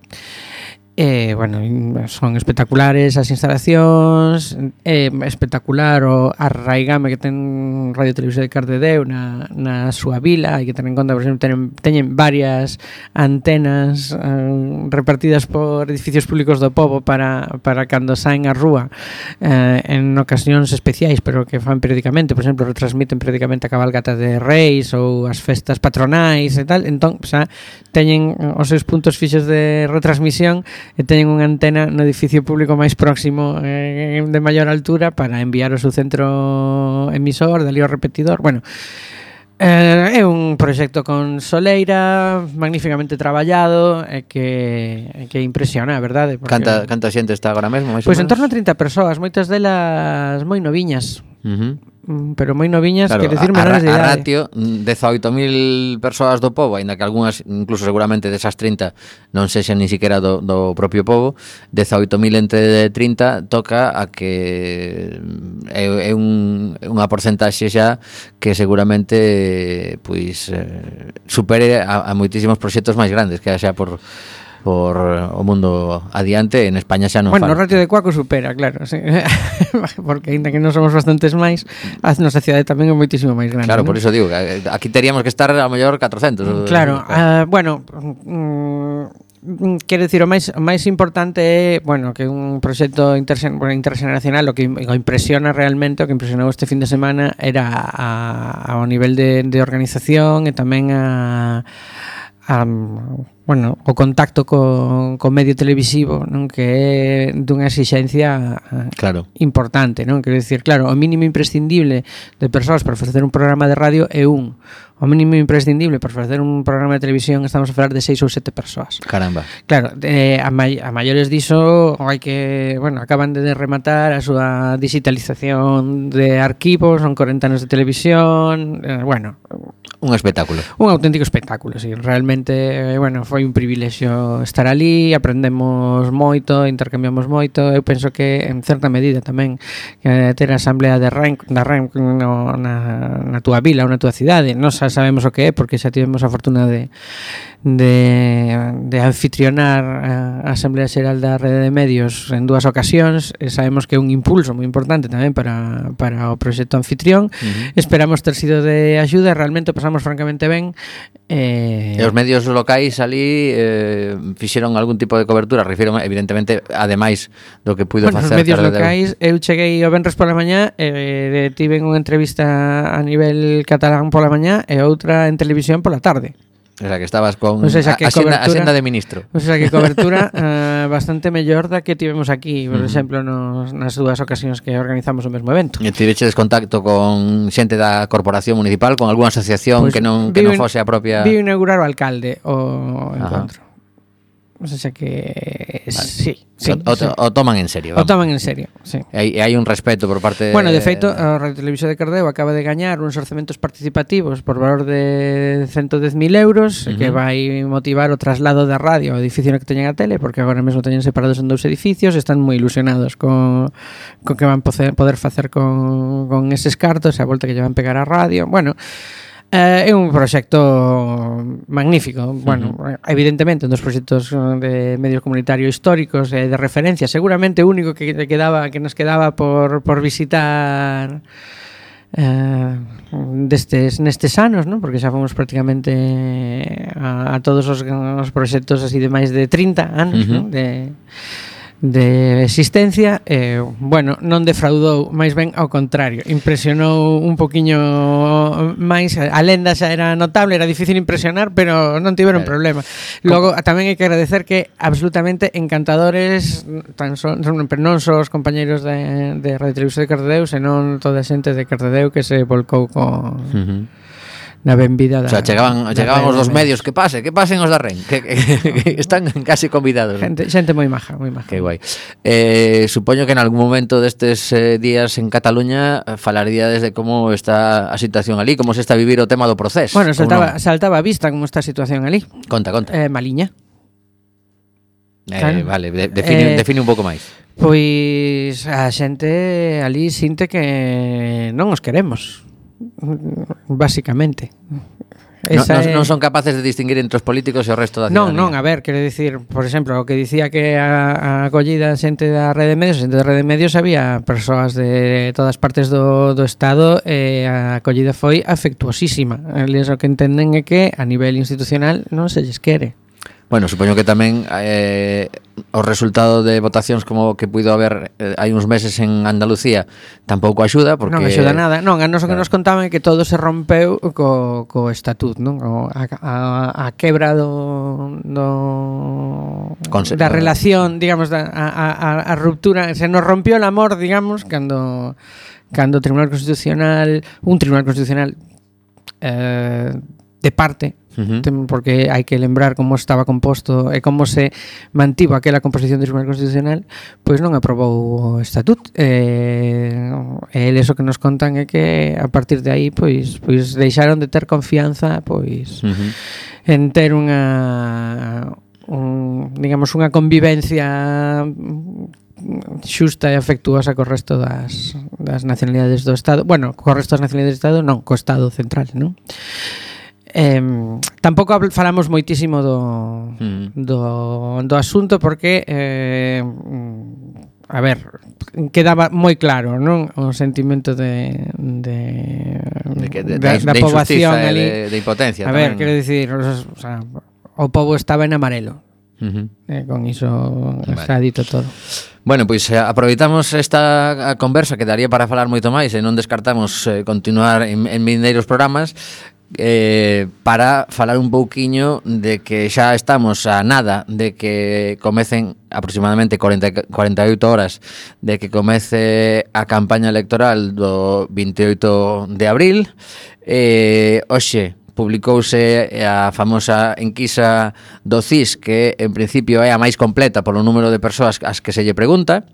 E, bueno, son espectaculares as instalacións, é espectacular o arraigame que ten Radio Televisión de Cardedeu na, na súa vila. Hai que tener en conta, por exemplo, teñen, teñen varias antenas eh, repartidas por edificios públicos do pobo para, para cando saen a rúa eh, en ocasións especiais, pero que fan periódicamente. Por exemplo, retransmiten periódicamente a cabalgata de Reis ou as festas patronais e tal. Entón, xa, teñen os seus puntos fixos de retransmisión e teñen unha antena no edificio público máis próximo eh, de maior altura para enviar o seu centro emisor, dali ao repetidor. Bueno, eh, é un proxecto con soleira, magníficamente traballado e que, que impresiona, a verdade. Porque, Canta, canta xente está agora mesmo? máis ou pois en menos? torno a trinta persoas, moitas delas moi noviñas. Uh-huh. Pero moi noviñas, Claro, quero dicir, a, menores de a, a idade. ratio, dezaoito mil persoas do pobo, aínda que algunhas, incluso seguramente desas trinta non sexan ni siquiera do, do propio pobo, dezaoito mil entre trinta toca a que é, é un, unha porcentaxe xa que seguramente pois eh, supere a, a moitísimos proxectos máis grandes que xa por por o mundo adiante. En España xa non Bueno, fala. o ratio de Cuaco supera, claro, sí. Porque ainda que non somos bastantes máis, a nosa cidade tamén é moitísimo máis grande. Claro, ¿no? por iso digo que aquí teríamos que estar a mellor catrocentos. Claro, uh, bueno, mm, quero dicir, o máis o máis importante é, bueno, que un proxecto intersen, bueno, interxeneracional, o que o impresiona realmente, o que impresionou este fin de semana era a, ao nivel de, de organización e tamén a a bueno, o contacto co, co medio televisivo, non, que é dunha exixencia claro. importante, non? Quero dicir, claro, o mínimo imprescindible de persoas para facer un programa de radio é un. O mínimo imprescindible para facer un programa de televisión estamos a falar de seis ou sete persoas. Caramba. Claro, eh, a, mai, a maiores diso hai que, bueno, acaban de rematar a súa digitalización de arquivos, son corenta anos de televisión, eh, bueno, un espectáculo. Un auténtico espectáculo, sí, realmente, eh, bueno, foi un privilexio estar ali, aprendemos moito, intercambiamos moito. Eu penso que en certa medida tamén que ter a asamblea de Ren, da Ren no, na, na túa vila ou na túa cidade, non sabemos o que é porque xa tivemos a fortuna de de, de anfitrionar a Asamblea Xeral da Rede de Medios en dúas ocasións e sabemos que é un impulso moi importante tamén para, para o proxecto anfitrión. Uh-huh. Esperamos ter sido de axuda, realmente pasamos francamente ben. Eh... E os medios locais ali eh, fixeron algún tipo de cobertura, refiro evidentemente ademais do que puido bueno, facer os medios Cardedeu. locais, eu cheguei o venres pola mañá e eh, tiven unha entrevista a nivel catalán pola mañá e outra en televisión pola tarde. O sea, que estabas con o sea, que a, cobertura, a senda de ministro. O sea, que cobertura uh, bastante mellor da que tivemos aquí, por uh-huh. exemplo, nos, nas dúas ocasións que organizamos o mesmo evento. E tiveches contacto con xente da corporación municipal, con algunha asociación pues, que non que non fose a propia... Vi inaugurar o alcalde o encontro. O sea que vale. sí, sí, o, o, sí. o toman en serio. Vamos. O toman en serio, sí. E hai, hai un respeto por parte. Bueno, de feito, a Radio Televisión de Cardedeu acaba de gañar uns orçamentos participativos por valor de ciento dez mil euros, uh-huh. que vai motivar o traslado da radio ao edificio no que teñen a tele, porque agora mesmo teñen separados en dous edificios, están moi ilusionados con con que van poder facer con con eses cartos, a volta que lle van pegar a radio. Bueno, Eh, é un proxecto magnífico. Bueno, uh-huh. evidentemente un dos proxectos de medios comunitarios históricos e eh, de referencia, seguramente único que quedaba que nos quedaba por por visitar eh, destes nestes anos, non? Porque xa fomos prácticamente a, a todos os, os proxectos así de máis de trinta anos, Uh-huh. non? De de existencia, eh, bueno, non defraudou, máis ben ao contrario, impresionou un poquiño máis. A lenda xa era notable, era difícil impresionar, pero non tiveron Claro. problema. Logo tamén hai que agradecer que absolutamente encantadores, tan son, son pero non só os compañeiros de, de Radio Televisión de Cardedeu, senón toda a xente de Cardedeu que se volcou co Uh-huh. na benvida da, O sea, chegaban, da chegaban Radio os dos de medios, que pase, que pasen os da Ren, que, que, que están casi convidados. Xente, xente moi maja, moi maja. Que guai. Eh, supoño que en algún momento destes eh, días en Cataluña eh, falaríades de como está a situación ali, como se está a vivir o tema do proceso. Bueno, Como saltaba, non? saltaba a vista como está a situación ali. Conta, conta. Eh, maliña. Eh, claro. Vale, de, define, Eh, define un pouco máis. Pois a xente ali sinte que non os queremos, basicamente. No, Esa non, é- non son capaces de distinguir entre os políticos e o resto da Non, ciudadanía. non, a ver, quero dicir, por exemplo, o que dicía que a, a acollida xente da rede de medios, xente da rede de medios había persoas de todas partes do, do estado e a acollida foi afectuosísima. Eles o que entenden é que a nivel institucional non se lles quere. Bueno, supoño que tamén eh, o resultado de votacións como que puido haber eh, hai uns meses en Andalucía tampouco axuda porque Non axuda nada. Non, a nos o que Claro. nos contaban é que todo se rompeu co, co estatut, non? O, a, a, a quebra do, do Conse- da relación, digamos, da, a, a, a ruptura, se nos rompió el amor, digamos, cando cando o Tribunal Constitucional, un Tribunal Constitucional eh, de parte, Uh-huh. tem- porque hai que lembrar como estaba composto e como se mantivo aquela composición do Tribunal Constitucional, pois non aprobou o estatut. E, e eles o que nos contan é que a partir de aí pois pois deixaron de ter confianza pois Uh-huh. en ter unha un, digamos unha convivencia xusta e afectuosa co resto das, das nacionalidades do Estado. Bueno, co resto das nacionalidades do Estado non, co Estado central, non? Eh, tampouco habl- falamos moitísimo do, Mm. do, do asunto porque eh, a ver, quedaba moi claro, non? O sentimento de de, De que- de- da, de- da de poboación injustiza e ali. de- de impotencia A ver, tamén. quero dicir, os, o, sea, o pobo estaba en amarelo. Uh-huh. Eh, con iso Vale. está dito todo. Bueno, pois eh, aproveitamos esta a conversa que daría para falar moito máis e non descartamos eh, continuar en, en vindeiros programas eh, para falar un pouquiño de que xa estamos a nada de que comecen aproximadamente cuarenta, cuarenta e oito horas de que comece a campaña electoral do vinte e oito de abril. Eh, hoxe publicouse a famosa enquisa do C I S, que en principio é a máis completa polo número de persoas ás que se lle pregunta.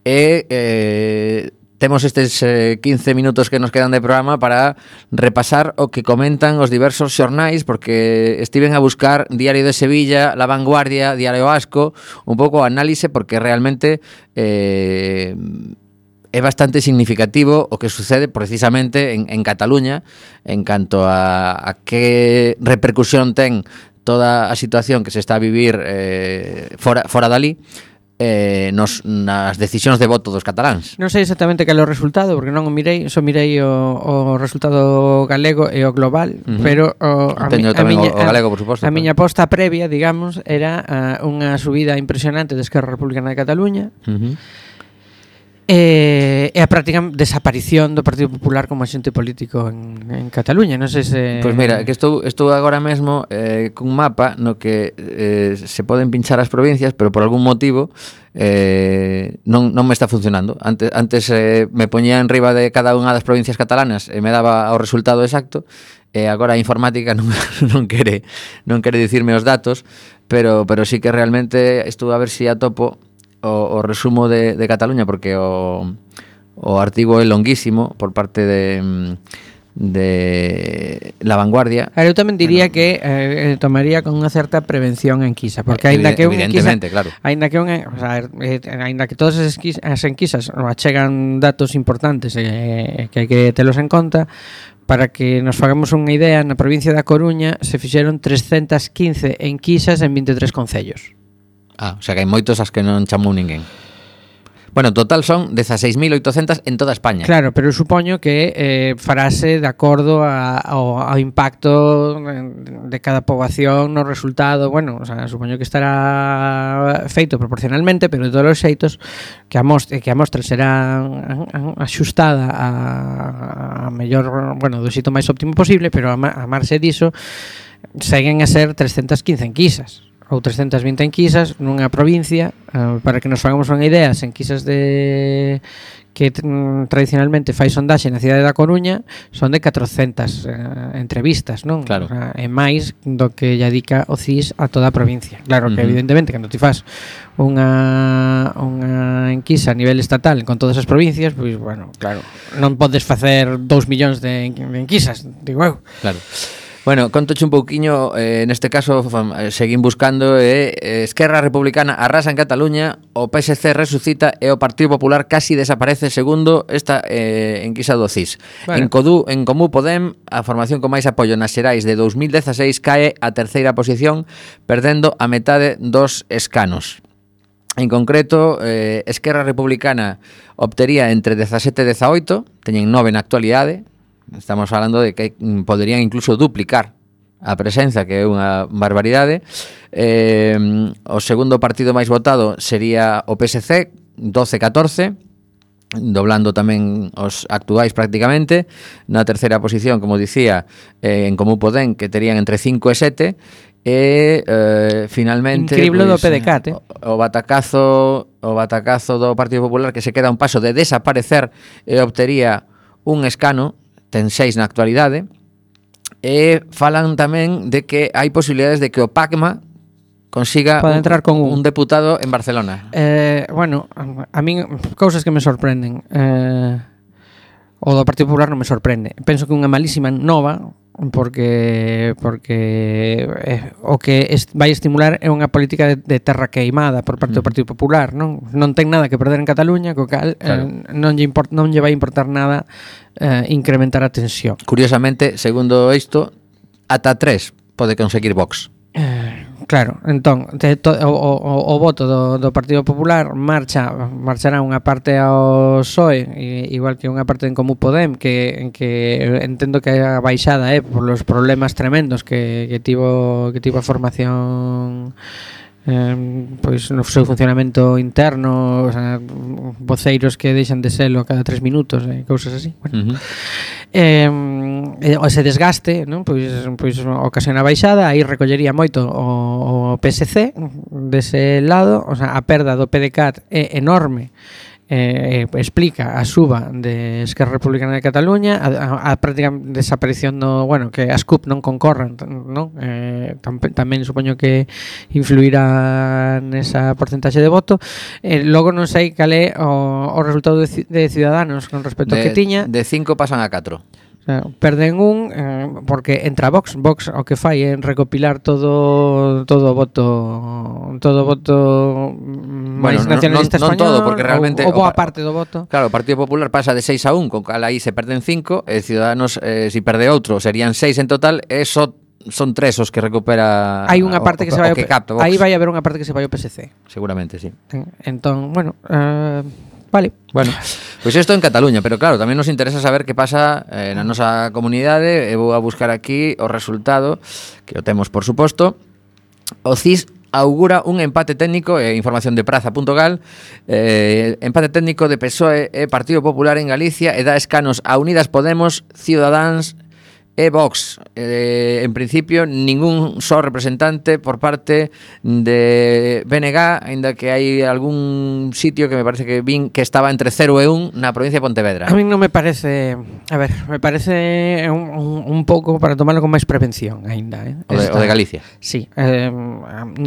E eh, temos estes eh, quince minutos que nos quedan de programa para repasar o que comentan os diversos xornais, porque estiven a buscar Diario de Sevilla, La Vanguardia, Diario Vasco, un pouco análise, porque realmente eh, é bastante significativo o que sucede precisamente en, en Cataluña en canto a, a que repercusión ten toda a situación que se está a vivir eh, fora, fora dali eh, nos, nas decisións de voto dos cataláns. Non sei exactamente cal é o resultado, porque non o mirei, só mirei o, o resultado galego e o global, Uh-huh. pero o, a, Teño mi, a, tamén miña, o, o galego, por suposto. a miña aposta previa, digamos, era a, unha subida impresionante de Esquerra Republicana de Cataluña Uh-huh. e, e a práctica desaparición do Partido Popular como axente político en, en Cataluña. Non sei se... Pois mira, que estou, estou agora mesmo eh, cun mapa no que eh, se poden pinchar as provincias, pero por algún motivo eh, non, non me está funcionando. Antes, antes eh, me poñía en riba de cada unha das provincias catalanas e me daba o resultado exacto, e agora a informática non, non quere non quere dicirme os datos, pero pero sí que realmente estou a ver se si atopo o, o resumo de, de Cataluña, porque o, o artigo é longuísimo por parte de de La Vanguardia. A ver, eu tamén diría bueno, que eh, tomaría con unha certa prevención en enquisa, porque aínda que unha enquisa, claro. aínda que unha, o sea, eh, aínda que todas as, esquis, as enquisas achegan datos importantes e eh, que hai que telos en conta, para que nos fagamos unha idea, na provincia da Coruña se fixeron trescentas quince enquisas en vinte e tres concellos. Ah, o sea que hai moitos as que non chamou ninguén. Bueno, en total son dieciséis mil ochocientos en toda España. Claro, pero eu supoño que eh, farase de acordo a, ao, ao impacto de cada poboación no resultado. Bueno, o sea, supoño que estará feito proporcionalmente, pero de todos os xeitos que a mostra, que a mostra será axustada a, a mellor, bueno, do xeito máis óptimo posible, pero a, a marxe diso seguen a ser trescientas quince enquisas ou trescientas vinte enquisas nunha provincia, uh, para que nos fagamos unha idea, as enquisas de que mm, tradicionalmente fai sondaxe na cidade da Coruña son de catrocentas uh, entrevistas, non? Claro. O sea, é máis do que lle dedica o C I S a toda a provincia. Claro que, Uh-huh. evidentemente, cando ti fas unha, unha enquisa a nivel estatal con todas as provincias, pois, bueno, claro, non podes facer dous millóns de, de enquisas, digo eu. Claro. Bueno, contoche un pouquiño, eh, neste caso fam, eh, seguín buscando eh, eh, Esquerra Republicana arrasa en Cataluña, o P S C resucita e o Partido Popular casi desaparece segundo esta eh, enquisa do C I S. Bueno. En, Codú, en Comú Podem, a formación con máis apoio nas xerais de dos mil dezaseis cae a terceira posición, perdendo a metade dos escanos. En concreto, eh, Esquerra Republicana obtería entre dezasete e dezaoito, teñen nove na actualidade. Estamos falando de que poderían incluso duplicar a presenza, que é unha barbaridade. Eh, o segundo partido máis votado sería o P S C, doce a catorce, doblando tamén os actuais prácticamente. Na terceira posición, como dicía, eh, en Comú Podem, que terían entre cinco e sete. E eh, finalmente Increíble pues, do P D C A T, eh? o, o batacazo o batacazo do Partido Popular, que se queda a un paso de desaparecer e obtería un escano, ten seis na actualidade. E falan tamén de que hai posibilidades de que o PACMA consiga Pode entrar con un. un deputado en Barcelona. Eh, bueno, a min cousas que me sorprenden. Eh, o do Partido Popular non me sorprende. Penso que unha malísima nova, porque porque eh, o que est, vai estimular é unha política de, de terra queimada por parte do Partido Popular, non? Non ten nada que perder en Cataluña, co cal claro. eh, non lle import, non lle vai importar nada eh, incrementar a tensión. Curiosamente, segundo isto, ata tres pode conseguir Vox. Eh, claro, entón te, to, o, o, o voto do, do Partido Popular marcha marchará unha parte ao P S O E, igual que unha parte en Comú Podem, que que entendo que a baixada é eh, por los problemas tremendos que, que tivo que tivo a formación eh, pois no seu funcionamento interno, o sea, voceiros que deixan de selo cada tres minutos e eh, cousas así. Bueno. Uh-huh. Eh, ese desgaste, non? Pois, pois ocasiona baixada, aí recollería moito o, o P S C dese lado, o sea, a perda do P D C A T é enorme. Eh, explica a suba de Esquerra Republicana de Cataluña, a, a, a práctica desaparición no, bueno, que as C U P non concorran, non? Eh, tam, tamén supoño que influirá nesa porcentaxe de voto. Eh, logo non sei cal é o, o resultado de, de Ciudadanos con respecto de, ao que tiña. De cinco pasan a catro. Perden un eh, porque entra Vox, Vox o que fai é recopilar todo todo voto todo voto máis bueno, nacionalista non, non, español, non todo, porque realmente o, o boa parte do voto. Claro, o Partido Popular pasa de seis a un, con cal aí se perden cinco, e Ciudadanos eh, si perde outro serían seis en total, e só son tres os que recupera. Hai unha parte o, que se vai o que capta Vox. aí vai haber unha parte que se vai ao P S C. Seguramente, sí. Entón, bueno, eh, vale. Bueno, pois pues isto en Cataluña, pero claro, tamén nos interesa saber que pasa eh, na nosa comunidade. E vou a buscar aquí o resultado, que o temos por suposto. O C I S augura un empate técnico, eh, información de praza punto gal, eh, empate técnico de P S O E e Partido Popular en Galicia, e dá escanos a Unidas Podemos, Ciudadanos e Vox. Eh, en principio, ningún só representante por parte de B N G, aínda que hai algún sitio que me parece que vin que estaba entre cero e un na provincia de Pontevedra. A mí non me parece, a ver, me parece un, un, un pouco para tomarlo con máis prevención aínda, eh? O de, o de Galicia. Sí, eh,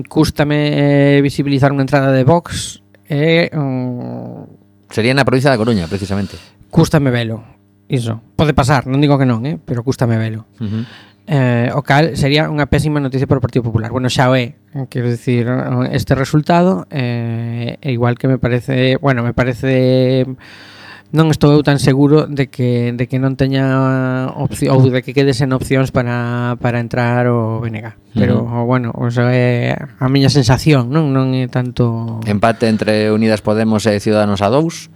cústame visibilizar unha entrada de Vox e eh, um, sería na provincia da Coruña, precisamente. Cústame velo. Iso, pode pasar, non digo que non, eh, pero cústame velo. Uh-huh. Eh, o cal sería unha pésima noticia para o Partido Popular. Bueno, xa o é, quero dicir, este resultado, eh, é igual que me parece, bueno, me parece non estou eu tan seguro de que de que non teña opción ou de que quede sen opcións para, para entrar o B N G. Pero, uh-huh. bueno, o sea, é a miña sensación, non non é tanto... Empate entre Unidas Podemos e Ciudadanos a dous.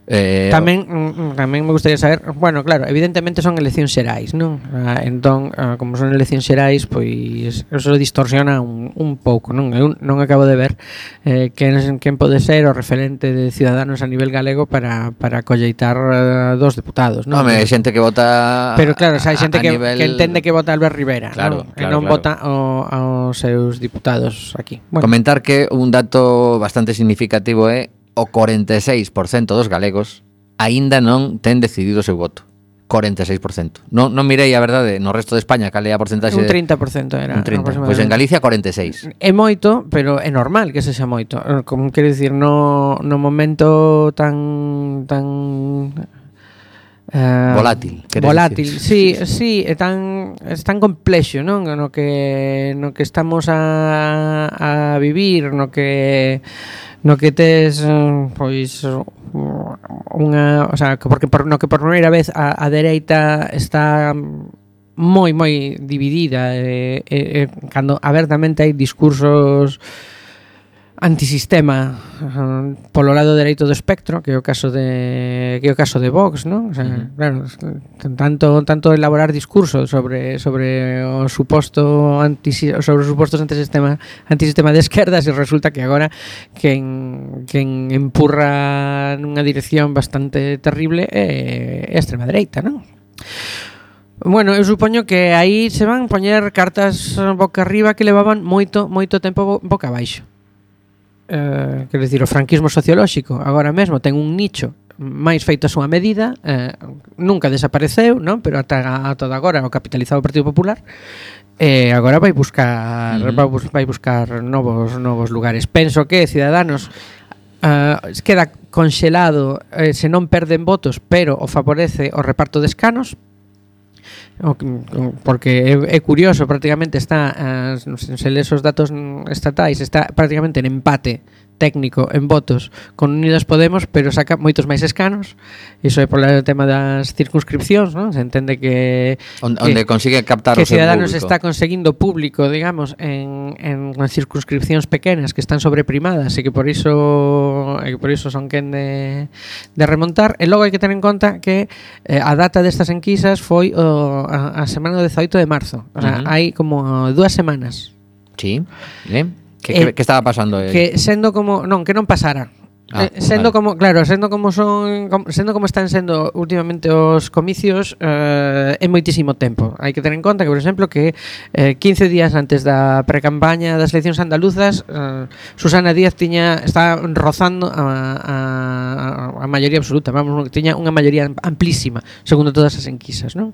Eh, tamén tamén me gustaría saber, bueno, claro, evidentemente son eleccións xerais, non? Ah, entón, ah, como son eleccións xerais, pois eso distorsiona un, un pouco, non? Eu non acabo de ver eh, quen, quen pode ser o referente de Ciudadanos a nivel galego para, para colleitar uh, dos deputados, non? Home, hai xente que vota. Pero claro, xa hai xente que, nivel... que entende que vota Albert Rivera, claro, non? Claro, e non claro. vota o, aos seus diputados aquí. Bueno. Comentar que un dato bastante significativo é o cuarenta y seis por ciento dos galegos aínda non ten decidido o seu voto. cuarenta y seis por ciento. Non, non mirei a verdade no resto de España cal é a porcentaxe. Un treinta por ciento era. Un treinta. Pois pues en Galicia cuarenta y seis. É moito, pero é normal que sexa moito. Como quero dicir, no, no momento tan tan Uh, volátil, volátil, decir. sí, sí, é tan é tan complexo, non? No que no que estamos a, a vivir, no que no que tes pois unha, o sea, porque por no que por primeira vez a, a dereita está moi moi dividida e, e, e cando abertamente hai discursos antisistema uh, polo lado dereito do espectro, que é o caso de que é o caso de Vox, non? O sea, uh-huh. claro, tanto tanto elaborar discurso sobre sobre o suposto anti sobre os supostos antisistema antisistema de esquerdas e resulta que agora quen quen empurra nunha dirección bastante terrible é a extrema dereita, non? Bueno, eu supoño que aí se van poñer cartas boca arriba que levaban moito moito tempo boca abaixo. Uh, quero dicir, o franquismo sociolóxico agora mesmo ten un nicho máis feito a súa medida, uh, nunca desapareceu, non? Pero ata, ata agora o capitalizado o Partido Popular e eh, agora vai buscar uh-huh. vai, vai buscar novos novos lugares. Penso que Ciudadanos uh, queda conxelado eh, se non perden votos, pero o favorece o reparto de escanos, porque é, é curioso, prácticamente está uh, se lees os datos estatais, está prácticamente en empate técnico en votos con Unidas Podemos, pero saca moitos máis escanos. Iso é polo tema das circunscripcións, non? Se entende que onde, que, onde consigue captar que o seu Ciudadanos público. Está conseguindo público, digamos, en, en circunscripcións pequenas que están sobreprimadas e que por iso e que por iso son quen de, de remontar. E logo hai que ter en conta que eh, a data destas enquisas foi o, a, a semana do dezaoito de marzo. O sea, uh-huh. hai como dúas semanas. Sí, ben. Que, eh, que, que estaba pasando? Eh? Que sendo como, non, que non pasara. Ah, eh, sendo vale. como, claro, sendo como son, como, sendo como están sendo últimamente os comicios, eh, é moitísimo tempo. Hai que ter en conta que, por exemplo, que eh, quince días antes da precampaña das eleccións andaluzas, eh, Susana Díaz tiña está rozando a, a, a maioría absoluta, vamos, que tiña unha maioría amplísima, segundo todas as enquisas, non?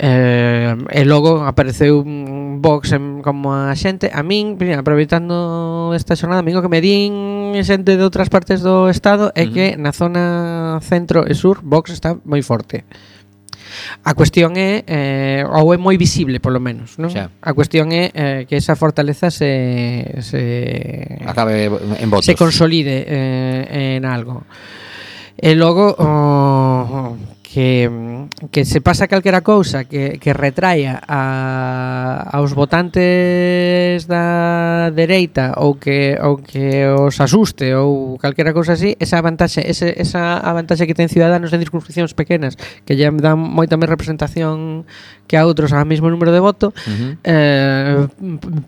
Eh, e logo apareceu un Vox en, como a xente a min, aproveitando esta xornada, amigo, que me din xente de outras partes do estado é uh-huh. que na zona centro e sur Vox está moi forte. A cuestión é eh, ou é moi visible, polo menos, non? Xa. A cuestión é eh, que esa fortaleza se se acabe en votos, se consolide eh, en algo. E logo oh, que, que se pasa calquera cousa que, que retraia a, aos votantes da dereita ou que ou que os asuste ou calquera cousa así, esa vantaxe, ese, esa a vantaxe que ten Ciudadanos en circunscripcións pequenas que lle dan moita máis representación que a outros ao mesmo número de voto, uh-huh. eh,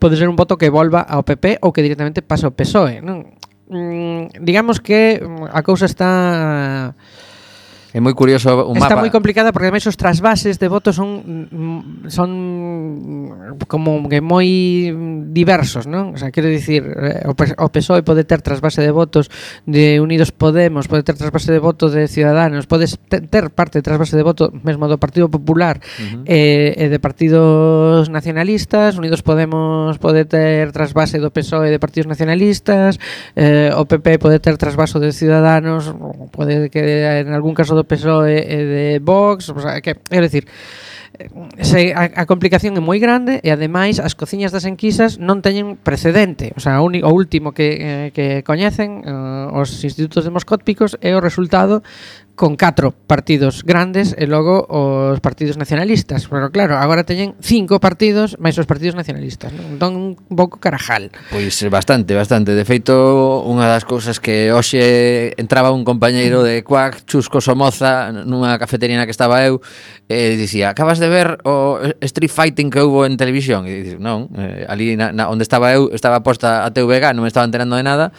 pode ser un voto que volva ao P P ou que directamente pasa ao P S O E, non? Mm, digamos que a cousa está é moi curioso un Está mapa. moi complicada porque ademais os trasvases de votos son son como que moi diversos, non? O sea, quero dicir, o P S O E pode ter trasvase de votos de Unidos Podemos, pode ter trasvase de votos de Ciudadanos, pode ter parte de trasvase de voto mesmo do Partido Popular uh-huh. e, e de partidos nacionalistas. Unidos Podemos pode ter trasvase do P S O E de partidos nacionalistas, eh, o P P pode ter trasvaso de Ciudadanos, pode que en algún caso do P S O E e de Vox, o sea, que, é dicir, se, a, a complicación é moi grande e ademais as cociñas das enquisas non teñen precedente. O sea, o, uni, o último que, eh, que coñecen uh, os institutos demoscópicos é o resultado con catro partidos grandes e logo os partidos nacionalistas. Pero claro, agora teñen cinco partidos máis os partidos nacionalistas, non? Entón un pouco carajal. Pois bastante, bastante. De feito, unha das cousas que hoxe entraba un compañeiro de Cuac, Chusco Somoza, nunha cafetería na que estaba eu, e dicía, acabas de ver o Street Fighting que houbo en televisión? E dices, non, eh, ali na, na, onde estaba eu estaba posta a T V G, non me estaba enterando de nada.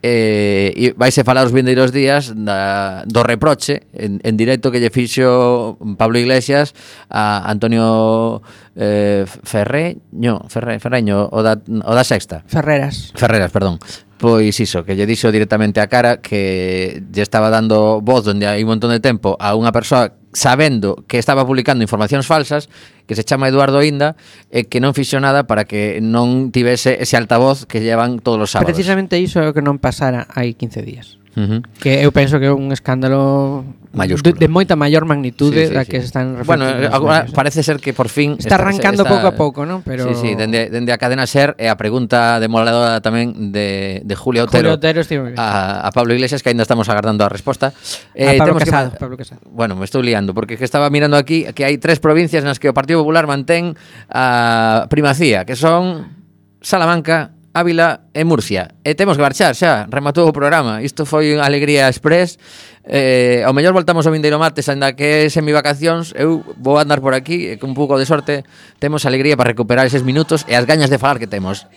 Eh, e vaise falar os vindeiros días da, do reproche en, en directo que lle fixo Pablo Iglesias a Antonio eh, Ferreño, Ferre, Ferreño o da, o da Sexta Ferreras Ferreras, perdón. Pois iso, que lle dixo directamente a cara que lle estaba dando voz onde hai un montón de tempo a unha persoa sabendo que estaba publicando informacións falsas, que se chama Eduardo Inda, e que non fixo nada para que non tivese ese altavoz que llevan todos os sábados. Precisamente iso é o que non pasara hai quince días. Uh-huh. Que eu penso que é un escándalo de, de moita maior magnitude sí, sí, da que sí. están refletindo. Bueno, agora parece ser que por fin está, está arrancando está, pouco a pouco, non? Pero sí, sí, dende, dende a cadena SER e a pregunta demoledora tamén de, de Julio Otero, Julio Otero a, a Pablo Iglesias, que ainda estamos agardando a resposta. Eh, a Pablo Casado, que, Pablo Casado. Bueno, me estou liando porque que estaba mirando aquí que hai tres provincias nas que o Partido Popular mantén a primacía, que son Salamanca, Ávila e Murcia. E temos que marchar xa, rematou o programa. Isto foi unha alegría express. Eh, ao mellor voltamos ao vindeiro martes, ainda que é semivacacións. Eu vou andar por aquí e con un pouco de sorte temos alegría para recuperar eses minutos e as gañas de falar que temos.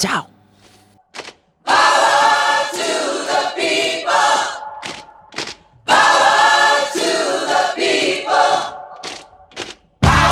Chao.